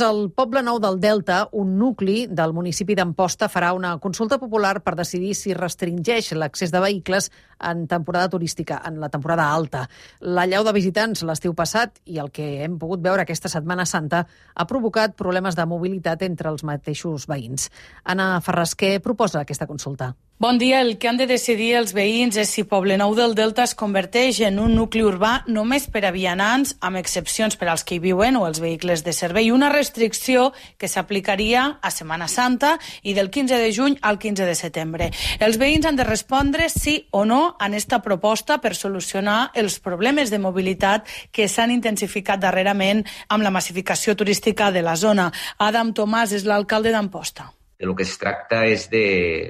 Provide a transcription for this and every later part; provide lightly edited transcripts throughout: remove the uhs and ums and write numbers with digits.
Al Poble Nou del Delta, un nucli del municipi d'Amposta farà una consulta popular per decidir si restringeix l'accés de vehicles en temporada turística, en la temporada alta. L'allau de visitants l'estiu passat i el que hem pogut veure aquesta Setmana Santa ha provocat problemes de mobilitat entre els mateixos veïns. Anna Ferrasquer proposa aquesta consulta. Bon dia. El que han de decidir els veïns és si Poblenou del Delta es converteix en un nucli urbà només per a vianants, amb excepcions per als que hi viuen o els vehicles de servei. Una restricció que s'aplicaria a Setmana Santa i del 15 de juny al 15 de setembre. Els veïns han de respondre sí o no en esta proposta per solucionar els problemes de mobilitat que s'han intensificat darrerament amb la massificació turística de la zona. Adam Tomàs és l'alcalde d'Amposta. El que es tracta és de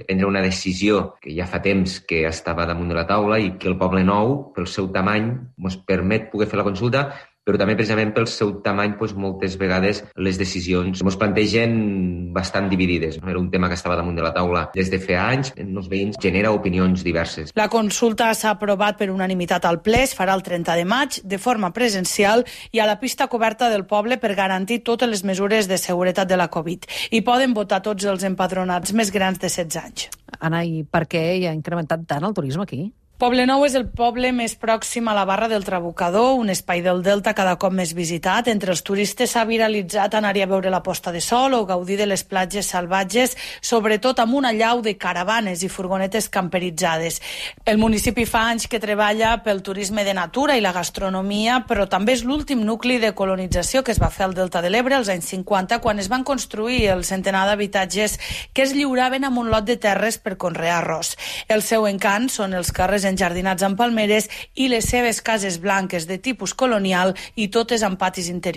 prendre una decisió que ja fa temps que estava damunt de la taula i que el Poble Nou, pel seu tamany, ens permet poder fer la consulta, però també precisament pel seu tamany moltes vegades les decisions ens plantegen bastant dividides. Era un tema que estava damunt de la taula des de fa anys, en els veïns genera opinions diverses. La consulta s'ha aprovat per unanimitat al ple, es farà el 30 de maig de forma presencial i a la pista coberta del poble per garantir totes les mesures de seguretat de la Covid. Hi poden votar tots els empadronats més grans de 16 anys. Anna, i per què hi ha incrementat tant el turisme aquí? Poblenou és el poble més pròxim a la Barra del Trabucador, un espai del Delta cada cop més visitat. Entre els turistes s'ha viralitzat anar-hi a veure la posta de sol o gaudir de les platges salvatges, sobretot amb una allau de caravanes i furgonetes camperitzades. El municipi fa anys que treballa pel turisme de natura i la gastronomia, però també és l'últim nucli de colonització que es va fer al Delta de l'Ebre als anys 50, quan es van construir el centenar d'habitatges que es lliuraven amb un lot de terres per conrear arròs. El seu encant són els carrers enjardinats amb palmeres i les seves cases blanques de tipus colonial i totes amb patis interiors.